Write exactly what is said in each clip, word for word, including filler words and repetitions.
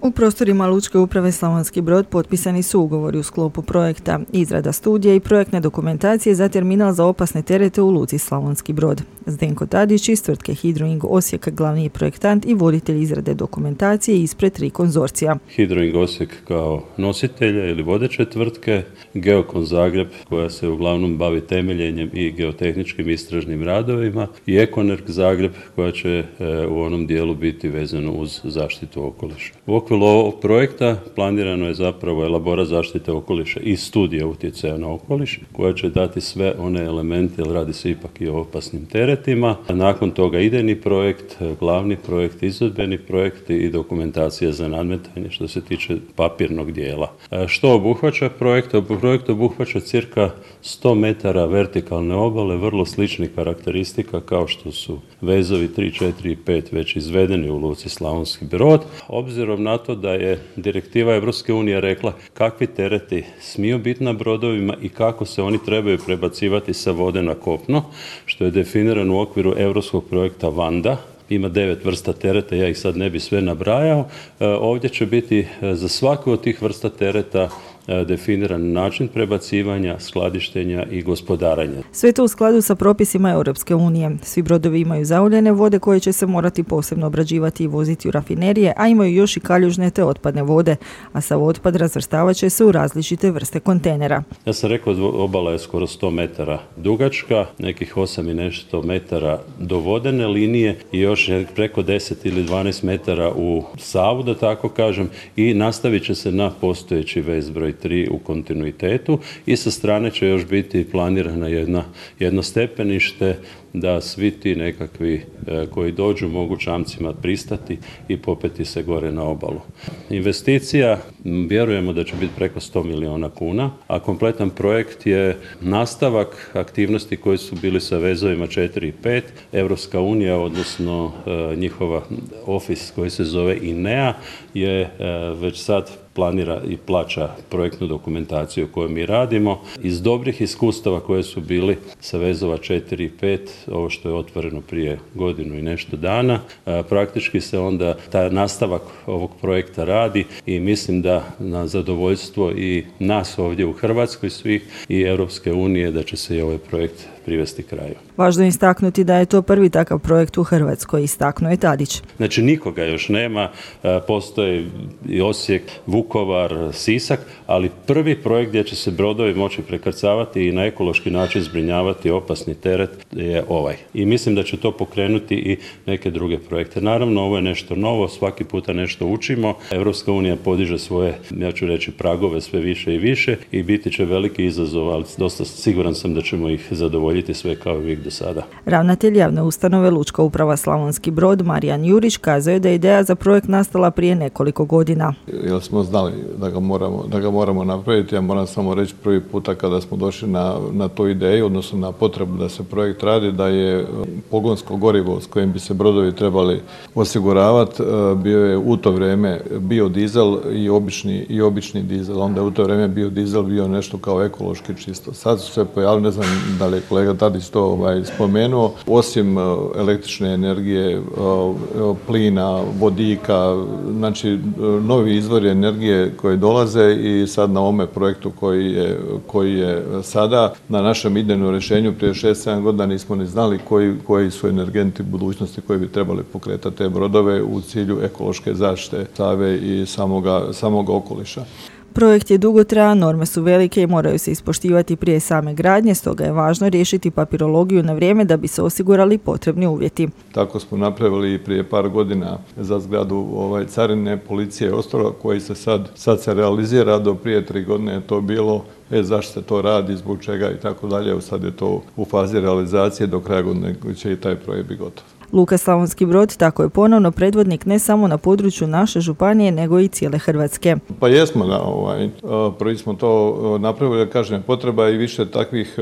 U prostorima Lučke uprave Slavonski Brod potpisani su ugovori u sklopu projekta izrada studije i projektne dokumentacije za terminal za opasne terete u Luci Slavonski Brod. Zdenko Tadić iz tvrtke Hidroing Osijek, glavni projektant i voditelj izrade dokumentacije ispred tri konzorcija. Hidroing Osijek kao nositelja ili vodeće tvrtke, Geokon Zagreb koja se uglavnom bavi temeljenjem i geotehničkim istražnim radovima i Ekonerg Zagreb koja će e, u onom dijelu biti vezano uz zaštitu okoliša. U okviru ovog projekta planirano je zapravo elaborat zaštite okoliša i studija utjecaja na okoliš koja će dati sve one elemente, jer radi se ipak i o opasnim teretima. A nakon toga idejni projekt, glavni projekt, izvedbeni projekt i dokumentacija za nadmetanje što se tiče papirnog dijela. A što obuhvaća projekt? Projekt obuhvaća cirka sto metara vertikalne obale, vrlo sličnih karakteristika kao što su vezovi tri, četiri i pet već izvedeni u Luci Slavonski Brod. Obzirom na to da je direktiva Europske unije rekla kakvi tereti smiju biti na brodovima i kako se oni trebaju prebacivati sa vode na kopno, što je definirano u okviru europskog projekta Vanda. Ima devet vrsta tereta, ja ih sad ne bi sve nabrajao. Ovdje će biti za svaku od tih vrsta tereta definiran način prebacivanja, skladištenja i gospodarenja. Sve to u skladu sa propisima Europske unije. Svi brodovi imaju zauljene vode koje će se morati posebno obrađivati i voziti u rafinerije, a imaju još i kaljužne te otpadne vode, a sav otpad razvrstavat će se u različite vrste kontejnera. Ja sam rekao, obala je skoro sto metara dugačka, nekih osam i nešto metara do vodene linije i još preko deset ili dvanaest metara u Savu, da tako kažem, i nastavit će se na postojeći vez broj tri u kontinuitetu i sa strane će još biti planirana jedna, jedno stepenište da svi ti nekakvi e, koji dođu mogu čamcima pristati i popeti se gore na obalu. Investicija vjerujemo da će biti preko sto milijuna kuna, a kompletan projekt je nastavak aktivnosti koji su bili sa vezovima četiri i pet. Europska unija, odnosno e, njihova ofis koji se zove I N E A je e, već sad planira i plaća projektnu dokumentaciju koju mi radimo. Iz dobrih iskustava koje su bili sa vezova četiri i pet, ovo što je otvoreno prije godinu i nešto dana, praktički se onda taj nastavak ovog projekta radi i mislim da na zadovoljstvo i nas ovdje u Hrvatskoj svih i Europske unije da će se i ovaj projekt privesti kraju. Važno je istaknuti da je to prvi takav projekt u Hrvatskoj, istaknuo je Tadić. Znači nikoga još nema, postoje i Osijek, Vukovar, Sisak, ali prvi projekt gdje će se brodovi moći prekrcavati i na ekološki način zbrinjavati opasni teret je ovaj. I mislim da će to pokrenuti i neke druge projekte. Naravno, ovo je nešto novo, svaki puta nešto učimo. Europska unija podiže svoje, ja ću reći, pragove sve više i više i biti će veliki izazov, ali dosta siguran sam da ćemo ih zadovoljiti sve kao i uvijek do sada. Ravnatelj javne ustanove Lučka uprava Slavonski Brod, Marijan Jurić, kazao je da je ideja za projekt nastala prije nekoliko godina. Jer smo znali da ga moramo, da ga moramo napraviti, ja moram samo reći prvi puta kada smo došli na, na tu ideju, odnosno na potrebu da se projekt radi, da je pogonsko gorivo s kojim bi se brodovi trebali osiguravati, bio je u to vrijeme biodizel i obični, i obični dizel. Onda je u to vrijeme biodizel bio nešto kao ekološki čisto. Sad su se pojavili, ne znam da li je kolega Tadić to ovaj, spomenuo, osim električne energije, plina, vodika, znači novi izvori energije koji dolaze i sad na ovome projektu koji je, koji je sada na našem idejnom rješenju prije šest sedam godina nismo ni znali koji, koji su energenti budućnosti koji bi trebali pokretati te brodove u cilju ekološke zaštite Save i samoga, samoga okoliša. Projekt je dugotrajan, norme su velike i moraju se ispoštivati prije same gradnje, stoga je važno riješiti papirologiju na vrijeme da bi se osigurali potrebni uvjeti. Tako smo napravili prije par godina za zgradu ovaj, carine, policije i ostalo koji se sad, sad se realizira, do prije tri godine je to bilo, e, zašto se to radi, zbog čega i tako dalje, sad je to u fazi realizacije, do kraja godine će i taj projekt biti gotov. Luka Slavonski Brod tako je ponovno predvodnik ne samo na području naše županije, nego i cijele Hrvatske. Pa jesmo, da, ovaj, prvi smo to napravili, da kažem, potreba i više takvih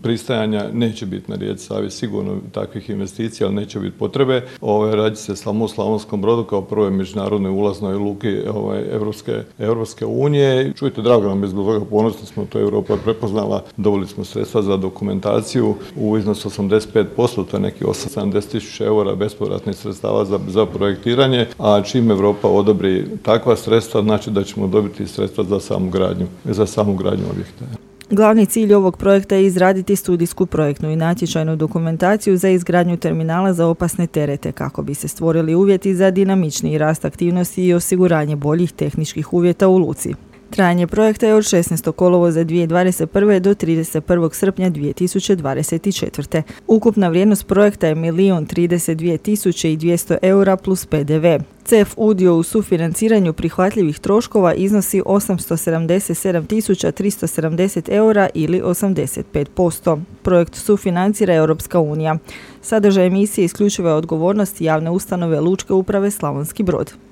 pristajanja neće biti na rijeci Savi sigurno takvih investicija, ali neće biti potrebe. Ovaj, radi se samo u Slavonskom Brodu kao prvoj međunarodnoj ulaznoj luki ovaj, Evropske, Evropske unije. Čujte, drago nam je zbog toga, ponosni smo, to Europa prepoznala, dobili smo sredstva za dokumentaciju u iznosu osamdeset pet posto, to je neki osamdeset tisuća eura bespovratnih sredstava za, za projektiranje, a čim Europa odobri takva sredstva, znači da ćemo dobiti sredstva za samu gradnju, za samu gradnju objekta. Glavni cilj ovog projekta je izraditi studijsku projektnu i natječajnu dokumentaciju za izgradnju terminala za opasne terete kako bi se stvorili uvjeti za dinamičniji rast aktivnosti i osiguranje boljih tehničkih uvjeta u luci. Trajanje projekta je od šesnaestog kolovoza dvije tisuće dvadeset prve do trideset prvog srpnja dvije tisuće dvadeset četvrte. Ukupna vrijednost projekta je milijun trideset dvije tisuće dvjesto eura plus P D V. C E F udio u sufinanciranju prihvatljivih troškova iznosi osamsto sedamdeset sedam tisuća tristo sedamdeset eura ili osamdeset pet posto. Projekt sufinancira Europska unija. Sadržaj emisije isključiva je odgovornost javne ustanove Lučke uprave Slavonski Brod.